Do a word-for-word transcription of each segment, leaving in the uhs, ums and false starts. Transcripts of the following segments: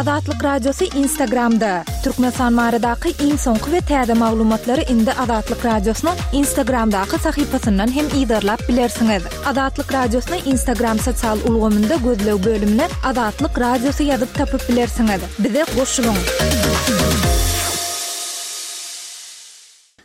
Azatlyk Radiosy Instagramda. Türkmenistan baradaky iň soňky we täze maglumatlary indi Azatlyk Radiosynyň Instagramdaky sahypasyndan hem yzarlap bilersiňiz. Azatlyk Radiosyny Instagram sosial ulgamynda gözleg bölümine Azatlyk Radiosy ýazyp tapyp bilersiňiz. Bize goşulyň.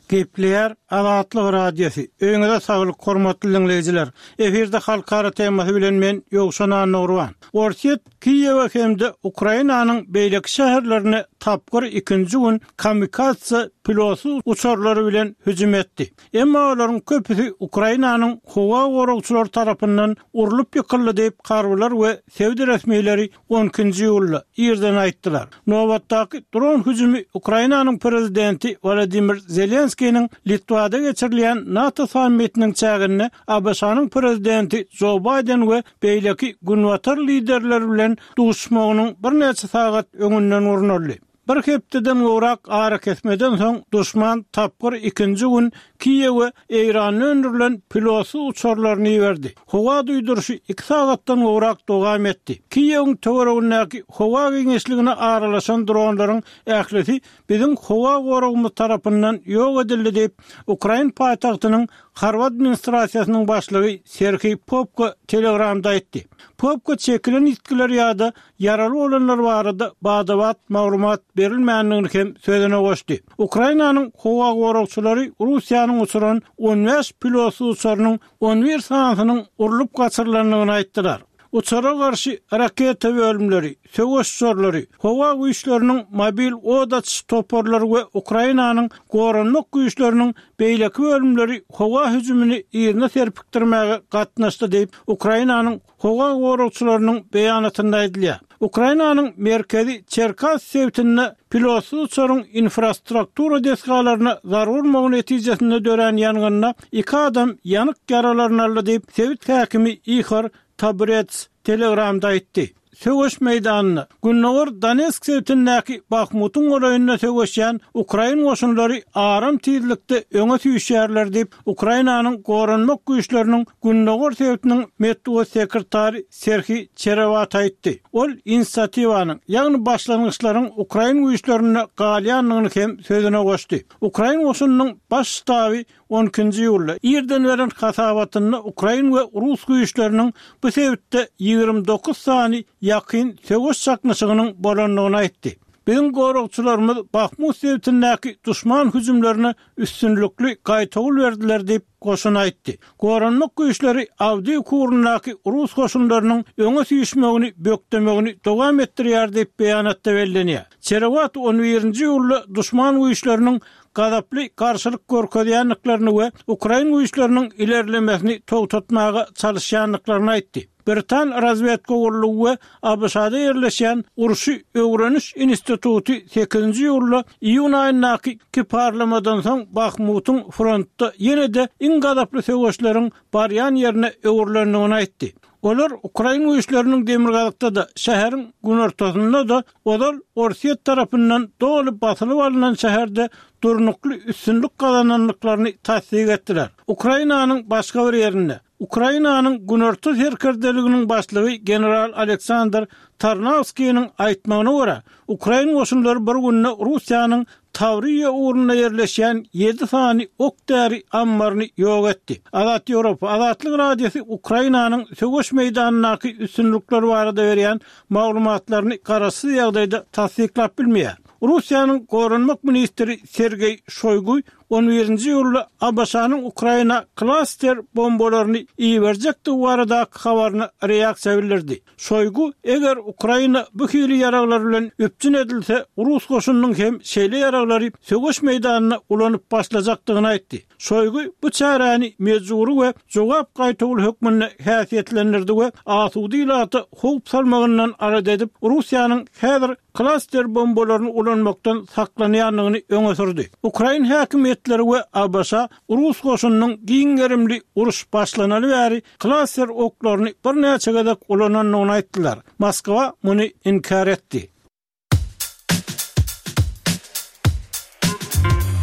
Gepleýär Azatlyk Radiosy. Öýüňize saglyk, hormatly diňleýjiler. Efirde halkara temasy bilen men Ýowşan Annagurban. Orsýet Kiýewe hem-de Ukrainanyň beýleki şäherlerine tapgyr ikinji gün kamikadze pilotsyz uçarlary bilen hüjüm etdi. Emma olaryň köpüsi Ukrainanyň howa goragçylary tarapyndan urlup ýykyldy diýip, harbylar we sebit resmileri on ikinji iýulda irden aýtdylar. Nobatdaky dron hüjümi Ukrainanyň prezidenti Wladimir Zelenskiniň Litwada geçirilýän NATO sammitiniň çäginde ABŞ-nyň prezidenti Jo Baýden we beýleki günbatar liderleri bilen duşuşmagynyň birnäçe sagat öňünden gurnaldy. Bir hepdeden gowrak arakesmeden soň duşman tapgyr ikinji gün Kiýewe Eýranda öndürilen pilotsyz uçarlaryny iberdi. Howa duýduryşy iki sagatdan gowrak dowam etdi. Kiýewiň töweregindäki howa giňişligine aralaşan dronlaryň ählisi biziň howa goragymyz tarapyndan ýok edildi diýip, Ukrain paýtagtynyň harby administrasiýasynyň başlygy Serhiý Popko Telegramda aýtdy. Popko çekilen ýitgiler ýa-da ýaraly bolanlar barada bada-bat maglumat berilmändigini hem sözüne goşdy. Ukrainanyň howa goragçylary Russiýanyň uçuran on bäş pilotsyz uçarynyň on bir sanysynyň urlup gaçyrylandygyny aýtdylar. Uçara garşy raketa bölümleri, söweş uçarlary, howa güýçleriniň mobil od açyş toparlary we Ukrainanyň goranmak güýçleriniň beýleki bölümleri howa hüjümini yzyna serpikdirmäge gatnaşdy diýip, Ukrainanyň howa goragçylarynyň beýanatynda aýdylýar. Ukrainanyň merkezi Çerkas sebitinde pilotsyz uçaryň infrastruktura desgalaryna zarba urmagy netijesinde dörän ýangynda iki adam ýanyk ýaralaryny aldy diýip, sebit häkimi Ihor Taburets Telegramda aýtdy. Söweş meýdanynda Gündogar Donetsk sebitindäki Bahmutyň golaýynda söweşýän ukrain goşunlary aram tizlikde öňe süýşýärler diýip, Ukrainanyň goranmak güýçleriniň Gündogar sebitiniň metbugat sekretary Serhiý Çerewaty aýtdy. Ol inisiatiwanyň, ýagny başlangyçlaryň ukrain güýçlerinde galýandygyny hem sözüne goşdy. Ukrain goşunynyň baş ştaby on ikinji iýulda irden beren hasabatynda ukrain we rus güýçleriniň bu sebitde ýigrimi dokuz sany ýakyn söweş çaknyşygynyň bolandygyny aýtdy. Biziň goragçylarymyz Bahmut sebitindäki duşman hüjümlerine üstünlikli gaýtawul berdiler diýip, goşun aýtdy. Goranmak güýçleri Awdiýewka ugrundaky rus goşunlarynyň öňe süýşmegini bökdemegini dowam etdirýär diýip beýanatda bellenýär. Çerewat on birinji iýulda duşman güýçleriniň gazaply garşylyk görkezýändiklerini we ukrain güýçleriniň ilerlemesini togtatmaga çalyşýandyklaryny aýtdy. Britan razwedka gullugy we ABŞ-da ýerleşýän Urşy öwreniş instituty sekizinji iýulda iýun aýyndaky iki parlamadan soň Bahmutyň frontda ýene-de iň gazaply söweşleriň barýan ýerine öwrülendigini aýtdy. Olar ukrain güýçleriniň demirgazykda-da, şäheriň günortasynda-da ozal Orsýet tarapyndan doly basylyp alynan şäherde durnukly üstünlik gazanandyklaryny tassyk etdiler. Ukrainanyň başga bir ýerinde Ukrainanyň günorta serkerdeliginiň başlygy general Aleksandr Tarnawskiniň aýtmagyna görä, ukrain goşunlary bir günde Russiýanyň Tawriýa ugrunda ýerleşýän ýedi sany ok-däri ammaryny ýok etdi. Azat Ýewropa, Azatlyk Radiosy Ukrainanyň söweş meýdanyndaky üstünlikler barada berýän maglumatlaryny garaşsyz ýagdaýda tassyklap bilmeýär. Russiýanyň goranmak ministri Sergeý Şoýgu on birinji iýulda ABŞ-nyň Ukraina klaster bombalaryny iberjekdigi baradaky habaryna reaksiýa bildirdi. Şoýgu, eger Ukraina bu hili ýaraglar bilen üpjün edilse, rus goşunynyň hem şeýle ýaraglary söweş meýdanynda ulanyp başlajakdygyny aýtdy. Şoýgu bu çäräni mejbury we jogap gaýtawul hökmünde häsiýetlendirdi we asuda ilata howp salmagyndan alada edip, Russiýanyň häzir klaster bombalaryny ulanmakdan saklanýandygyny öňe sürdi. Ukrain häkimiýetleri we ABŞ rus goşunynyň giň gerimli uruş başlanaly bäri klaster oklaryny birnäçe gezek ulanandygyny aýtdylar. Moskwa muny inkär etdi.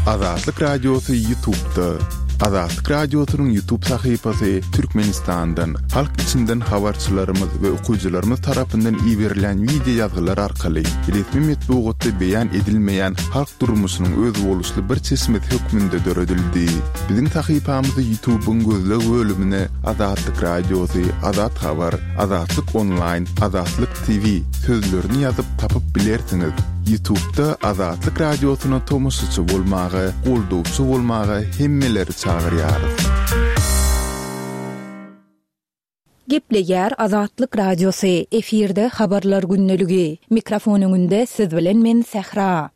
Azatlyk Radiosy YouTube'da. Azatlyk Radiosynyň YouTube sahypasy Türkmenistandan, halk içinden habarçylarymyz we okyjylarymyz tarapyndan iberilen wideo ýazgylar arkaly resmi metbugatda beýan edilmeýän halk durmuşynyň özboluşly bir çeşmesi hökmünde döredildi. Biziň sahypamyzy YouTube'yň gözleg bölümine Azatlyk Radiosy, Azat Habar, Azatlyk Online, Azatlyk T V sözlerini ýazyp tapyp bilersiňiz. YouTube'da Azatlyk Radiosyna tomaşaçy bolmaga, goldawçy bolmaga hemmeleri çagyrýarys. Gepleýär Azatlyk Radiosy, efirde habarlar gündeligi. Mikrofon öňünde siz bilen men Sähra.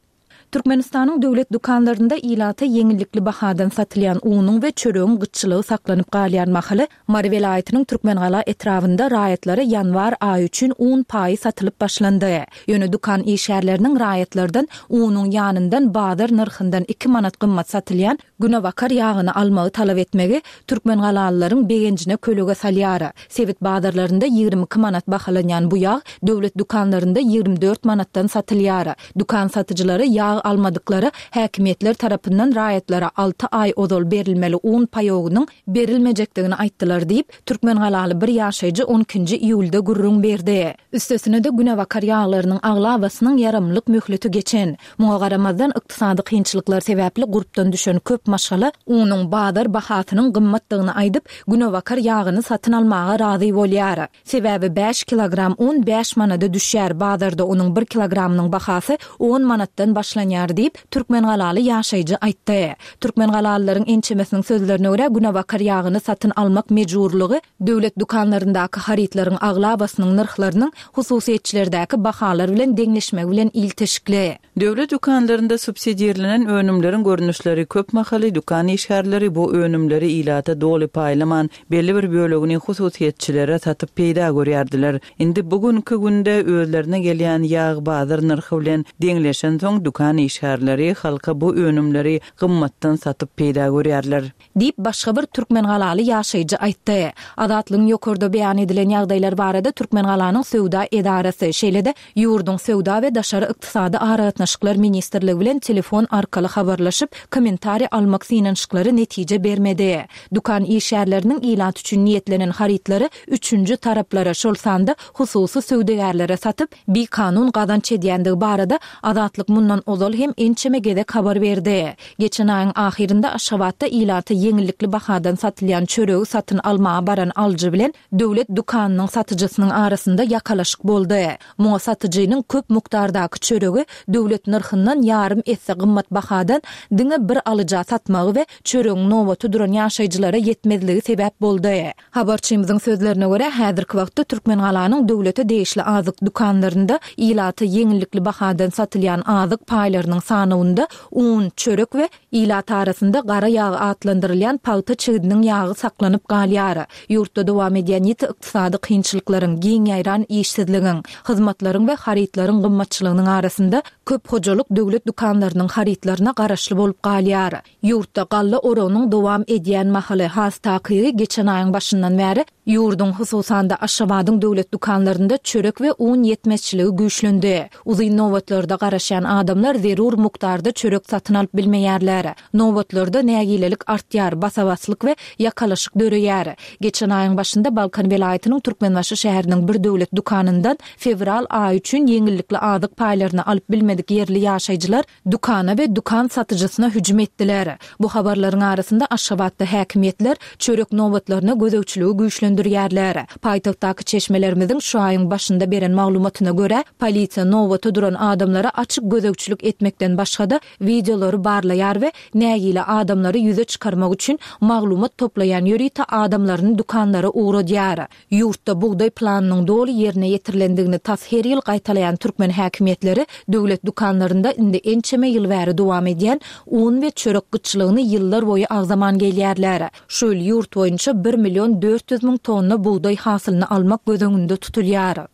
Türkmenistanyň döwlet dükanlarynda ilata ýeňillikli bahadan satylýan unuň we çöregiň gytçylygy saklanyp galýan mahaly Mary welaýatynyň Türkmengala etrabynda raýatlara ýanwar aýy üçin un paýy satylyp başlandy. Ýöne dükan işgärleriniň raýatlardan unuň ýanyndan bazar nyrhyndan iki manat gymmat satylýan günebakar ýagyny almagy talap etmegi Türkmengalalylaryň begenjine kölege salýar. Sebit bazarlarynda ýigrimi iki manat bahalanýan bu ýag döwlet dükanlarynda ýigrimi dört manatdan satylýar. Dükan satyjylary ýag almadyklary häkimiýetler tarapyndan raýatlara alty aý ozal berilmeli un paýogynyň berilmejekdigini aýtdylar diýip, Türkmengalaly bir ýaşaýjy on ikinji iýulda gürrüň berdi. Üstesine-de günebakar ýaglarynyň aglabasynyň ýaramlyk möhleti geçen. Muňa garamazdan ykdysady kynçylyklar sebäpli gurpdan düşen köp maşgala unuň bazar bahasynyň gymmatdygyny aýdyp, günebakar ýagyny satyn almaga razy bolýar. Sebäbi bäş kilogram un bäş manada düşýär, bazarda onuň bir kilogramynyň bahasy on manatdan başlanýar diýip, Türkmengalaly ýaşaýjy aýtdy. Türkmengalalylaryň ençemesiniň sözlerine görä günebakar ýagyny satyn almak mejburlygy döwlet dükanlaryndaky harytlaryň aglabasynyň nyrhlarynyň hususyýetçilerdäki bahalar bilen deňleşmegi bilen ilteşikli. Döwlet dükanlarynda subsidirlenen önümleriň görnüşleri köp mahaly dükan işgärleri bu önümleri ilata doly paýlaman belli bir bölegini hususyýetçilere satyp peýda görýärdiler. Indi bugünkü günde özlerine gelýän ýag bazar nyrhy bilen deňleşen soň dükan işgärleri halka bu önümleri gymmatdan satyp peýda görýärler. Diýip başga bir Türkmengalaly ýaşaýjy aýtdy. Azatlygyň ýokarda beýan edilen ýagdaýlar barada Türkmengalanyň söwda edarasy, şeýle-de ýurduň söwda we daşary ykdysady aragatnaşyklar ministrligi bilen telefon arkaly habarlaşyp, kommentariý almak synanyşyklary netije bermedi. Dükan işgärleriniň ilat üçin niýetlenen harytlary üçünji taraplara, şol sanda hususy söwdagärlere satyp, bikanun gazanç edýändigi barada Azatlyk mundan ozal hem ençeme gezek habar berdi. Geçen aýyň ahyrynda Aşgabatda ilata ýeňillikli bahadan satylýan çöregi satyn almaga baran alyjy bilen döwlet dükanynyň satyjysynyň arasynda ýakalaşyk boldy. Muňa satyjynyň köp mukdardaky çöregi döwlet nyrhyndan ýarym esse gymmat bahadan diňe bir alyja satmagy we çöregiň nobaty duran ýaşaýjylara ýetmezligi sebäp boldy. Habarçymyzyň sözlerine görä, häzirki wagtda Türkmengalanyň döwlete degişli azyk dükanlarynda ilata ýeňillikli bahadan satylýan azyk paýlarynyň sanawynda un, çörek we ilat arasynda gara ýag atlandyrylýan pagta çigidiniň ýagy saklanyp galýar. Ýurtda dowam edýän ýiti ykdysady kynçylyklaryň, giň ýaýran işsizligiň, hyzmatlaryň we harytlaryň gymmatçylygynyň arasynda köp hojalyk döwlet dükanlarynyň harytlaryna garaşly bolup galýar. Ýurtda galla oragynyň dowam edýän mahaly has takygy geçen aýyň başyndan bäri ýurduň hususan-da Aşgabadyň döwlet dükanlarynda çörek we un ýetmezçiligi güýçlendi. Uzyn nobatlarda garaşýan adamlar zerur mukdarda çörek satyn alyp bilmeýärler. Nobatlarda nägilelik artýar, basabaslyk we ýakalaşyk döreýär. Geçen aýyň başynda Balkan welaýatynyň Türkmenbaşy şäheriniň bir döwlet dükanyndan fewral aýy üçin ýeňillikli azyk paýlaryny alyp bilmedik ýerli ýaşaýjylar dükana we dükan satyjysyna hüjüm etdiler. Bu habarlaryň arasynda Aşgabatda häkimiýetler çörek nobatlaryna gözegçiligi güýçlendirýärler. Paýtagtdaky çeşmelerimiziň şu aýyň başynda beren maglumatyna görä, polisiýa nobata duran adamlara açyk gözegçilik etmekden başga-da wideolary barlaýar we nägile adamlary ýüze çykarmak üçin maglumat toplaýan ýörite adamlaryny dükanlara ugradýar. Ýurtda bugdaý planynyň doly ýerine ýetirilendigini tas her ýyl gaýtalaýan türkmen häkimiýetleri döwlet dükanlarynda indi ençeme ýyl bäri dowam edýän un we çörek gytçylygyny ýyllar boýy agzaman gelýärler. Şu ýyl ýurt boýunça bir million dört ýüz müň tonna bugdaý hasylyny almak göz öňünde tutulýar.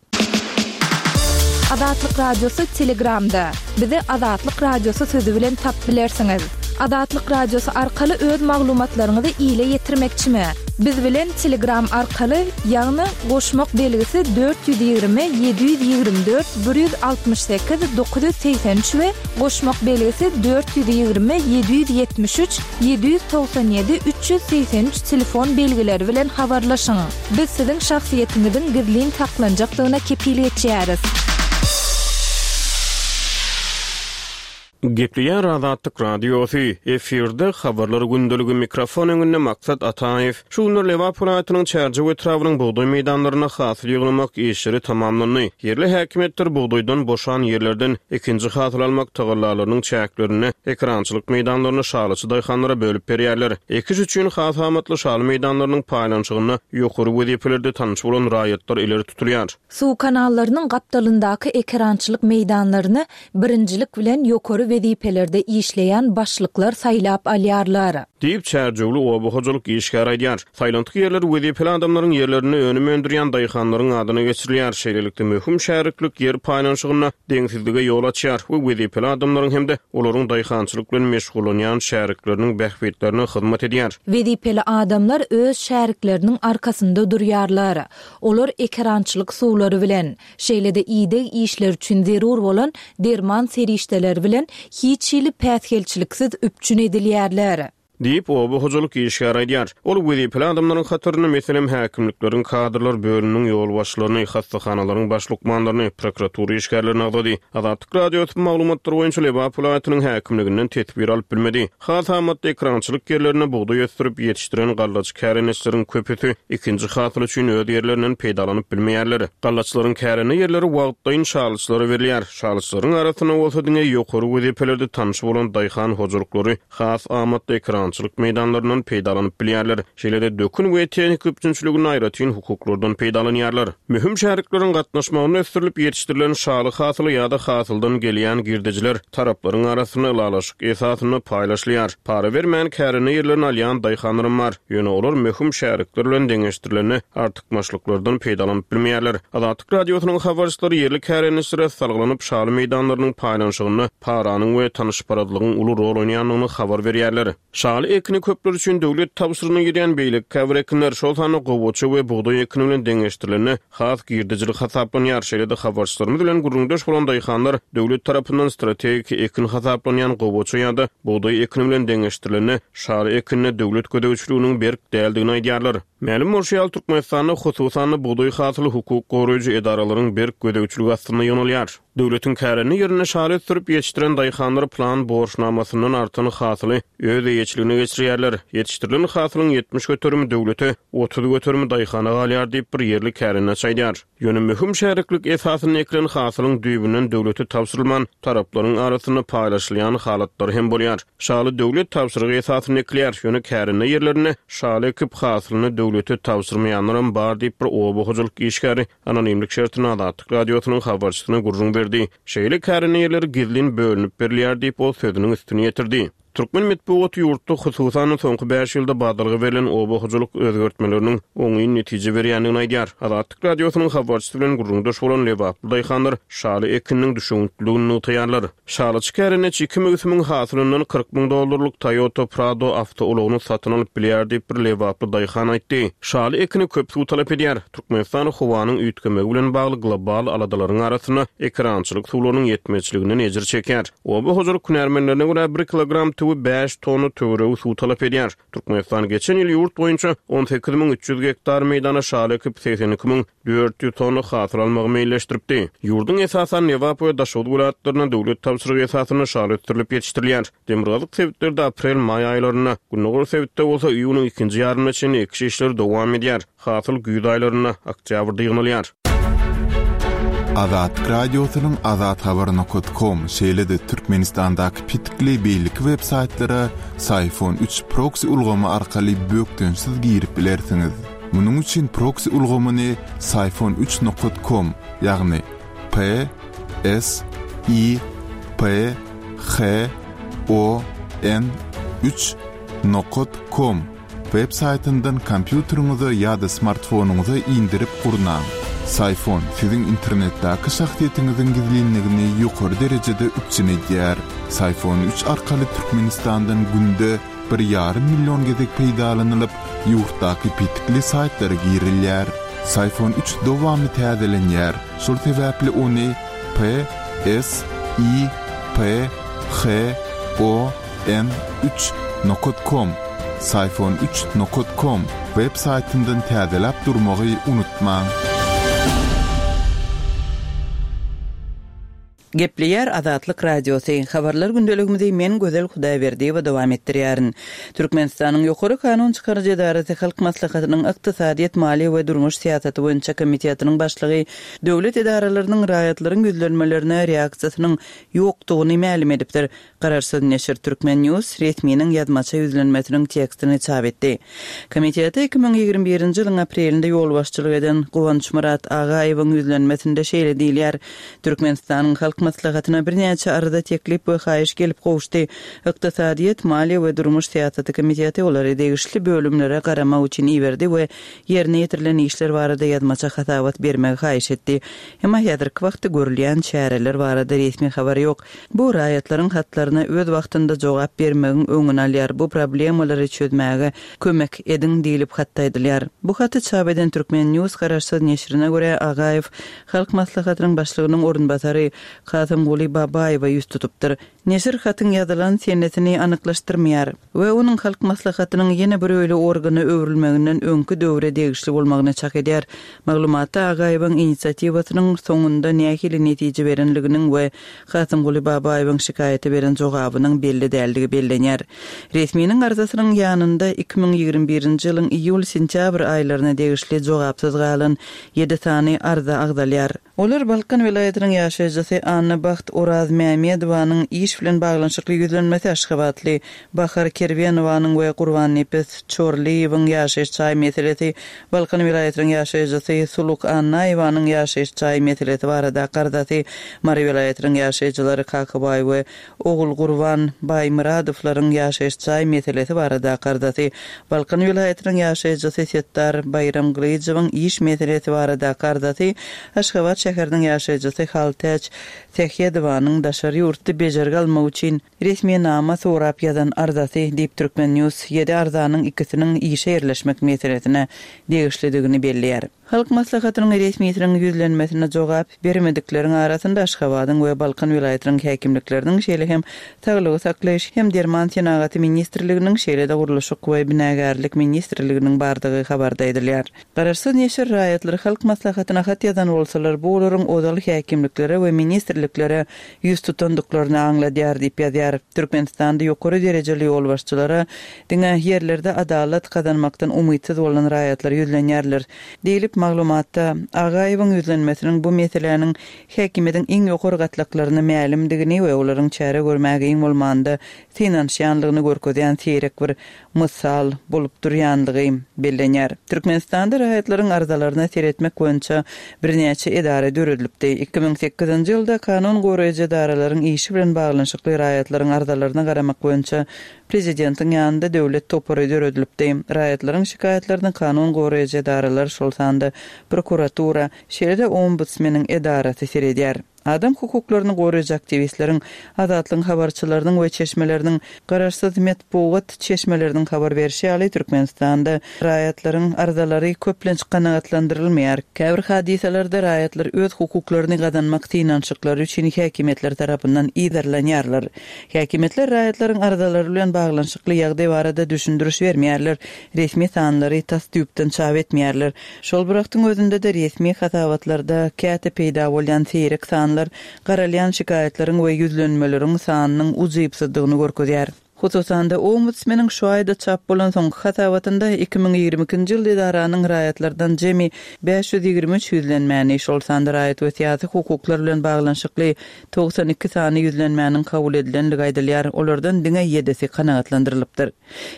Azatlyk Radiosy Telegramda. Bizi Azatlyk Radiosy sözü bilen tap bilersiňiz. Azatlyk Radiosy arkaly öz maglumatlaryňyzy ile ýetirmekçimi? Biz bilen Telegram arkaly, ýagny goşmak belgisi dört ýüz ýigrimi ýedi ýüz ýigrimi dört bir ýüz altmyş sekiz dokuz ýüz segsen üç we goşmak belgisi dört ýüz ýigrimi ýedi ýüz ýetmiş üç ýedi ýüz togsan ýedi üç ýüz segsen üç telefon belgileri bilen habarlaşyň. Biz siziň şahsyýetiňiziň gizlin saklanjakdygyna kepil geçýäris. Gepleýär Azatlyk Radiosy, efirde habarlar gündeligi, mikrofon öňünde Maksat Ataýew. Şu günler Lebap welaýatynyň Çärjew etrabynyň bugdaý meýdanlarynda hasyl ýygnamak işleri tamamlandy. Ýerli häkimiýetler bugdaýdan boşan ýerlerden ikinji hasyl almak tagallalarynyň çäklerinde ekerançylyk meýdanlaryny şalyçy daýhanlara bölüp berýärler. Ekiş üçin has amatly şaly meýdanlarynyň paýlanyşygynda ýokary wezipelerde tanyş bolan raýatlar ileri tutulýar. Suw kanallarynyň gapdalyndaky ekerançylyk meýdanlaryny birinjilik bilen ýokary wezipelerde işleýän başlyklar saýlap alýarlar. Diýip, Çärjewli oba hojalyk işgäri aýdýar. Saýlantyk ýerler wezipeli adamlaryň ýerlerinde önüm öndürýän daýhanlaryň adyna geçirilýär. Şeýlelikde, möhüm şäriklik ýer paýlanyşygynda deňsizlige ýol açýar we wezipeli adamlaryň hem-de olaryň daýhançylyk bilen meşgullanýan şärikleriniň bähbitlerine hyzmat edýär. Wezipeli adamlar öz şärikleriniň arkasynda durýarlar. Olar ekerançylyk suwlary bilen, şeýle-de ideg işleri üçin zerur bolan derman serişdeleri bilen hiç hili päsgelçiliksiz üpjün edilýärler. Diýip, oba hojalyk işgäri aýdýar. Ol wezipeli adamlaryň hatarynda, meselem, häkimlikleriň kadrlar bölüminiň ýolbaşçylaryny, hassahanalaryň baş lukmanlaryny, prokuratura işgärlerini agzady. Azatlyk Radiosy bu maglumatlar boýunça Lebap welaýatynyň häkimliginden teswir alyp bilmedi. Has amatly ekerançylyk ýerlerinde bugdaý ösdürip ýetişdiren gallaçy kärendeçileriň köpüsi ikinji hasyl üçin öz ýerlerinden peýdalanyp bilmeýärler. Gallaçylaryň kärende ýerleri wagtlaýyn şalyçylara berilýär. Şalyçylaryň arasynda bolsa diňe ýokary wezipelerde tanyş bolan daýhan hojalyklary has amatly ekerançylyk meýdanlaryndan peýdalanyp bilýärler. Şeýle-de dökün we tehnika üpjünçiliginde aýratyn hukuklardan peýdalanýarlar. Möhüm şärikleriň gatnaşmagynda ösdürilip ýetişdirilen şaly hasyly ýa-da hasyldan gelýän girdejiler taraplaryň arasynda ylalaşyk esasynda paýlaşylýar. Para bermän kärende ýerlerini alýan daýhanlarym bar. Ýöne olar möhüm şärikler bilen deňeşdirilende artykmaçlyklardan peýdalanyp bilmeýärler. Azatlyk Radiosynyň habarçylary ýerli kärendeçilere salgylanyp şaly meýdanlarynyň paýlanyşygynda paranyň we tanyşparazlygyň uly rol oýnaýandygyny habar berýärler. Şaly ekini köpler üçin döwlet tabşyrygyna girýän beýleki käbir ekinler, şol sanda gowaça we bugdaý ekini bilen deňeşdirilende has girdejili hasaplanýar. Şeýle-de habarçylarymyz bilen gürrüňdeş bolan daýhanlar döwlet tarapyndan strategik ekin hasaplanýan gowaça ýa-da bugdaý ekini bilen deňeşdirilende şaly ekinine döwlet gözegçiliginiň berk däldigini aýdýarlar. Mälim bolşy ýaly, Türkmenistanda hususan-da bugdaý hasyly hukuk goraýjy edaralaryň berk gözegçiligi astynda ýygnalýar. Döwletiň kärende ýerinde şaly ösdürip ýetişdiren daýhanlar plan borçnamasyndan artan hasyly öz eýeçiligine geçirýärler. Ýetişdirilen hasylyň ýetmiş göterimi döwlete, otuz göterimi daýhana galýar diýip bir ýerli kärendeçi aýdýar. Ýöne möhüm şäriklik esasynda ekilen hasylyň düýbünden döwlete tabşyrylman, taraplaryň arasynda paýlaşylýan halatlary hem bolýar. Şaly döwlet tabşyrygy esasynda ekilýär, ýöne kärende ýerlerinde şaly ekip hasylyny döwlete tabşyrmaýanlaram bar diýip bir oba hojalyk işgäri anonimlik şertinde Azatlyk Radiosynyň habarçysyna gürrüň berdi. Şeýle kärende ýerleri gizlin bölünip berilýär diýip ol sözüniň üstüni ýetirdi. Türkmen metbugaty ýurtda hususan soňky bäş ýylda badalga berlen oba hojalyk özgertmeleriniň oňyn netije berýändigini aýdýar. Azatlyk Radiosynyň habarçysy bilen gürrüňdeş bolan lebaply daýhanlar şaly ekininiň düşewüntliligini nygtaýarlar. Şalyçy kärendeçi iki möwsümiň hasylyndan kyrk müň dollarlyk Toyota Prado awtoulagyny satyn alyp bilýär diýip bir lebaply daýhan aýtdy. Şaly ekini köp suw talap edýär. Türkmenistan howanyň üýtgemegi bilen bagly global aladalaryň arasynda ekerançylyk suwlarynyň ýetmezçiliginden ejir çekýär. Oba hojalyk hünärmenlerine görä bir kilogram tüwi bäş tonna töweregi suw talap edýär. Türkmenistan geçen ýyl ýurt boýunça on sekiz müň üç ýüz gektar meýdana şaly ekip segsen iki müň dört ýüz tonna hasyl almagy meýilleşdiripdi. Ýurduň esasan Lebap we Daşoguz welaýatlarynda döwlet tabşyrygy esasynda şaly ösdürilip ýetişdirilýär. Demirgazyk sebitlerde aprel-maý aýlarynda, gündogar sebitde bolsa iýunyň ikinji ýarymyna çenli ekiş işleri dowam edýär. Hasyl güýz aýlarynda, oktýabrda ýygnalýar. Azatlyk Radiosynyň azathabar nokta com, şeýle-de Türkmenistandaky petikli beýleki web saýtlara Syfon üç proxy ulgamy arkaly bökdençsiz girip bilersiňiz. Munuň üçin proxy ulgamyny Syfon üç nokta com, ýagny P S I P H O N üç nokta com web saýtyndan kompýuteriňize ýa-da smartfonyňyza indirip gurnaň. Syfon siziň internetdäki şahsyýetiňiziň gizlinligini ýokary derejede üpjün edýär. Syfon üç arkaly Türkmenistandan günde bir ýarym million gezek peýdalanylyp, ýurtdaky petikli saýtlara girilýär. Psiphon üç dowamly täzelenýär, şol sebäpli ony P S I P H O N üç nokat kom, Psiphon üç nokat kom, web saýtyndan täzeläp durmagy unutmaň. Gepleýär Azatlyk Radiosy, Habarlar gündeligimizi men Gözel Hudaýberdiýewa dowam etdirýärin. Türkmenistanyň Ýokary kanun çykaryjy edarasy Halk Maslahatynyň Ykdysadyýet, maliýe we durmuş syýasaty boýunça komitetiniň başlygy döwlet edaralarynyň raýatlaryň ýüzlenmelerine reaksiýasynyň ýokdugyny mälim edipdir. Garaşsyz neşir Turkmen News resminiň ýazmaça ýüzlenmesiniň tekstini çap etdi. Komitete iki müň ýigrimi birinji ýylyň aprelinde ýolbaşçylyk eden Guwançmyrat Agaýewiň ýüzlenmesinde şeýle diýilýär, Türkmenistanyň Halk Maslahatyna birnäçe arza, teklip we haýyş gelip gowuşdy. Ykdysadyýet, maliýe we durmuş syýasaty komiteti olary degişli bölümlere garamak üçin iberdi we ýerine ýetirilen işler barada ýazmaça hasabat bermegi haýyş etdi. Emma häzirki wagtda görülýän çäreler barada resmi habar ýok. Bu raýatlaryň hatlaryna öz wagtynda jogap bermegiň öňüni alýar, bu problemalary çözmäge kömek ediň diýlip hatda aýdylýar. Bu haty çap eden Turkmen News garaşsyz neşirine görä, Agaýew Halk Maslahatynyň başlygynyň orunbasary Kasymguly Babaýewe ýüz tutupdyr. Neşir hatyň ýazylan senesini anyklaşdyrmaýar we onuň Halk Maslahatynyň ýene bir öýli organa öwrülmeginden öňki döwre degişli bolmagyny çak edýär. Maglumatda Agaýewiň inisiatiwasynyň soňunda nähili netije berenliginiň we Kasymguly Babaýewiň şikaýaty beren jogabynyň belli däldigi bellenýär. Resminiň arzasynyň ýanynda iki müň ýigrimi birinji ýylyň iýul-sentýabr aýlaryna degişli jogapsyz galan ýedi sany arza agzalýar. Olar Balkan welaýatynyň ýaşaýjysy Annabagt Orazmämedowanyň iş bilen baglanyşykly ýüzlenmesi, Aşgabatly Bahar Kerwenowanyň we Gurbannepes Çorlyýewiň ýaşaýyş jaý meselesi, Balkan welaýatynyň ýaşaýjysy Suluk Annaýewanyň ýaşaýyş jaý meselesi baradaky arzasy, Mary welaýatynyň ýaşaýjylary Kakabaý we Ogulgurban Baýmyradowlaryň ýaşaýyş jaý meselesi baradaky arzasy, Balkan welaýatynyň ýaşaýjysy Setdar Baýramgylyjowyň iş meselesi baradaky arzasy, Aşgabat şäheriniň ýaşaýjysy Haltäç Sähedowanyň daşary ýurtda bejergi almak üçin resminama sorap ýazan arzasy diýip Turkmen News ýedi arzanyň ikisiniň işe ýerleşmek meselesine degişlidigini belleýär. Halk Maslahatynyň resmisiniň ýüzlenmesine jogap bermedikleriň arasynda Aşgabadyň we Balkan welaýatynyň häkimlikleriniň, şeýle hem Saglygy saklaýyş hem derman senagaty ministrliginiň, şeýle-de Gurluşyk we binagärlik ministrliginiň bardygy habarda aýdylýar. Garaşsyz neşir raýatlar Halk Maslahatyna hat ýazan bolsalar, bu olaryň ozal häkimliklere we ministrliklere ýüz tutandyklaryny aňladýar diýip ýazýar. Türkmenistanda ýokary derejeli ýolbaşçylara diňe ýerlerde adalat gazanmakdan umytsyz bolan raýatlar ýüzlenýärler diýlip maglumatda Agaýewiň ýüzlenmesiniň bu meseläniň häkimiýetiň iň ýokary gatlaklaryna mälimdigini we olaryň çäre görmäge iň bolmanda synanyşýanlygyny görkezýän seýrek bir mysal bolup durýanlygy bellenýär. Türkmenistanda raýatlaryň arzalaryna seretmek boýunça birnäçe edara döredilipdi. Iki müň sekizinji ýylda kanun goraýjy edaralaryň işi bilen baglanyşykly raýatlaryň arzalaryna garamak boýunça prezidentiň ýanynda döwlet topary döredilipdi. Raýatlaryň şikaýatlaryny kanun goraýjy edaralar, şol sanda prokuratura, şeýle-de ombudsmeniň edarasy seredýär. Adam hukuklaryny goraýjy aktiwistleriň, Azatlygyň habarçylarynyň we çeşmeleriniň, garaşsyz metbugat çeşmeleriniň habar berişi ýaly, Türkmenistanda raýatlaryň arzalary köplenç kanagatlandyrylmaýar. Käbir hadysalarda raýatlar öz hukuklaryny gazanmak synanyşyklary üçin häkimiýetler tarapyndan yzarlanýarlar. Häkimiýetler raýatlaryň arzalary bilen baglanyşykly ýagdaý barada düşündiriş bermeýärler, resmi sanlary tas düýpden çap etmeýärler. Şol bir wagtyň özünde-de resmi hasabatlarda käte peýda bolýan seýrek sanlar garalýan şikaýatlaryň we ýüzlenmeleriň sanynyň ujypsyzdygyny görkezýär. Hususan-da, ombudsmeniň şu aýda çap bolan soňky hasabatynda iki müň ýigrimi ikinji ýylda edaranyň raýatlardan jemi bäş ýüz ýigrimi üç ýüzlenmäni, şol sanda raýat we syýasy hukuklar bilen baglanyşykly togsan iki sany ýüzlenmäniň kabul edilenligi aýdylýar, olardan diňe ýedisi kanagatlandyrylypdyr.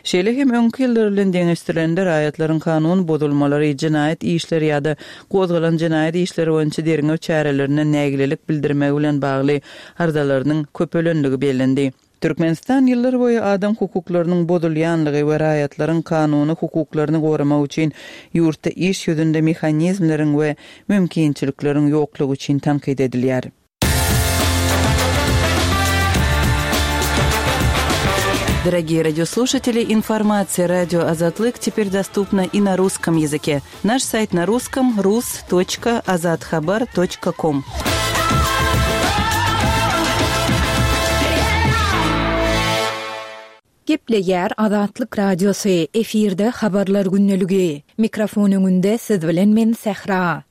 Şeýle hem öňki ýyllar bilen deňeşdirilende raýatlaryň kanun bozulmalary, jenaýat işleri ýa-da gozgalan jenaýat işleri boýunça derňew çärelerine nägilelik bildirmegi bilen bagly arzalarynyň köpelenligi bellendi. Türkmenistan ýyllar boýy adam hukuklarynyň bozulýanlygy we raýatlaryň kanuny hukuklaryny goramak üçin ýurtda iş ýüzünde mehanizmleriň we mümkinçilikleriň ýoklugy üçin tankyt edilýär. Дорогие радиослушатели, информация радио Азатлык теперь доступна и на русском языке. Наш сайт на русском rus.azathabar.com. Gepleýär Azatlyk Radiosy, efirde habarlar gündeligi. Mikrofon öňünde siz bilen men Sähra.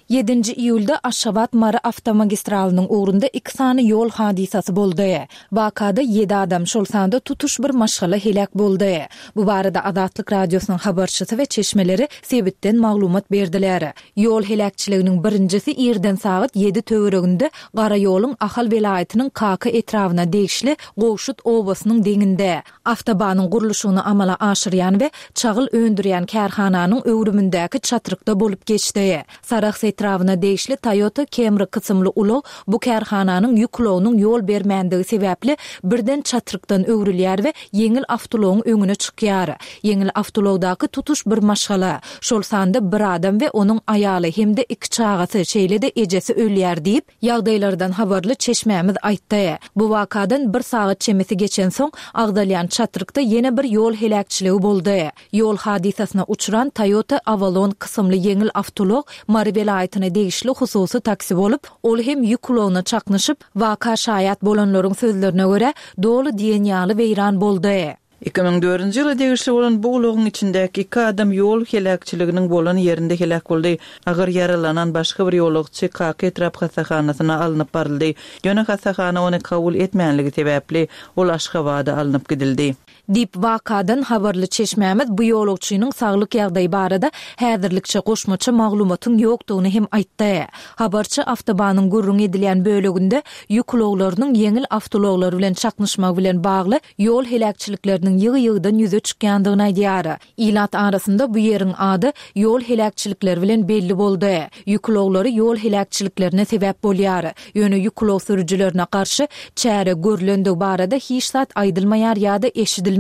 Ýedinji iýulda Aşgabat-Mary awtomagistralynyň ugrunda iki sany ýol hadysasy boldy. Wakada ýedi adam, şol sanda tutuş bir maşgala heläk boldy. Bu barada Azatlyk Radiosynyň habarçysy we çeşmeleri sebitden maglumat berdiler. Ýol heläkçiliginiň birinjisi irden sagat ýedi töwereginde Gara ýoluň Ahal welaýatynyň Kaka etrabyna degişli Gowşut obasynyň deňinde awtobanyň gurluşygyny amala aşyrýan we çagyl öndürýän kärhananyň öwrümindäki çatrykda bolup geçdi. Sarahs etrabyna degişli Toyota Camry kysymly ulag bu kärhananyň ýük ulagynyň ýol bermändigi sebäpli birden çatrykdan öwrülýär we ýeňil awtoulagyň öňüne çykýar. Ýeňil awtoulagdaky tutuş bir maşgala, şol sanda bir adam we onuň aýaly hem-de iki çagasy, şeýle-de ejesi ölýär diýip, ýagdaýlardan habarly çeşmämiz aýtdy. Bu wakadan bir sagat çemesi geçensoň, agzalýan çatrykda ýene bir ýol heläkçiligi boldy. Ýol hadysasyna uçran Toyota Avalon kysymly ýeňil awtoulag Mary welaýatyna degişli hususy taksi bolup, ol hem ýük ulagyna çaknyşyp, waka şaýat bolanlaryň sözlerine görä, doly diýen ýaly weýran boldy. Iki müň dördünji ýyla degişli bolan bu ulagyň içindäki iki adam ýol heläkçiliginiň bolan ýerinde heläk boldy. Agyr ýaralanan başga bir ýolagçy Kaka etrap hassahanasyna alnyp baryldy. Ýöne hassahana ony kabul etmänligi sebäpli ol Aşgabada alnyp gidildi. Diýip, wakadan habarly çeşmämiz bu ýolagçynyň saglyk ýagdaýy barada häzirlikçe goşmaça maglumatyň ýokdugyny hem aýtdy. Habarçy awtobanyň gürrüň edilýän böleginde ýük ulaglarynyň ýeňil awtoulaglar bilen çaknyşmagy bilen bagly ýol heläkçilikleriniň ýygy-ýygydan ýüze çykýandygyny aýdýar. Ilat arasynda bu ýeriň ady ýol heläkçilikleri bilen belli boldy. Ýük ulaglary ýol heläkçiliklerine sebäp bolýar. Ýöne ýük ulag sürüjilerine garşy çäre görlendigi barada hiç zat aýdylmaýar ýa-da eşidilmeýär.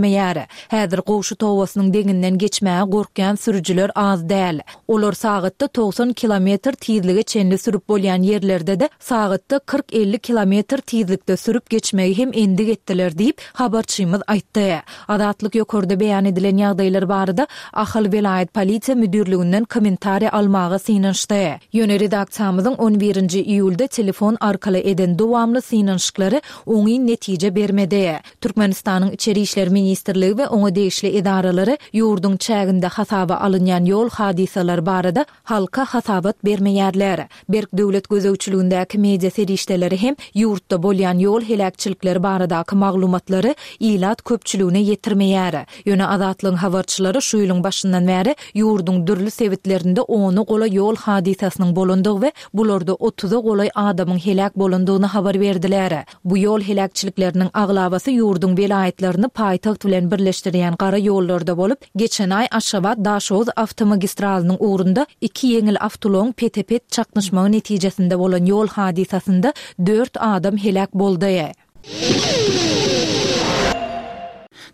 Häzir Gowşut obasynyň deňinden geçmäge gorkýan sürüjiler az däl. Olar sagatda togsan kilometr tizlige çenli sürüp bolýan ýerlerde-de sagatda kyrk-elli kilometr tizlikde sürüp geçmegi hem endik etdiler diýip, habarçymyz aýtdy. Azatlyk ýokarda beýan edilen ýagdaýlar barada Ahal welaýat polisiýa müdirliginden kommentariýa almaga synanyşdy. Ýöne redaksiýamyzyň on birinji iýulda telefon arkaly eden dowamly synanyşyklary oňyn netije bermedi. Türkmenistanyň Içeri işler ministrligi we oňa degişli edaralary ýurduň çäginde hasaba alynýan ýol hadysalary barada halka hasabat bermeýärler. Berk döwlet gözegçiligindäki media serişdeleri hem ýurtda bolýan ýol heläkçilikleri baradaky maglumatlary ilat köpçüligine ýetirmeýär. Ýöne Azatlygyň habarçylary şu ýylyň başyndan bäri ýurduň dürli sebitlerinde ona golaý ýol hadysasynyň bolandygy we bularda otuza golaý adamyň heläk bolandygyny habar berdiler. Bu ýol heläkçilikleriniň aglabasy ýurduň welaýatlaryny paýtagt bilen birleşdirýän gara ýollarda bolup, geçen aý Aşgabat-Daşoguz awtomagistralynyň ugrunda iki ýeňil awtoulagyň pete-pet çaknyşmagy netijesinde bolan ýol hadysasynda dört adam heläk boldy.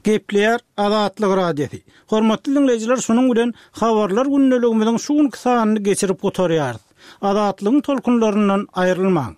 Gepleýär Azatlyk Radiosy. Hormatly dinleýjiler, şunuň bilen habarlar gündeligimiziň şu günki sanyny geçirip gutarýarys. Azatlygyň tolkunlaryndan aýrylmaň.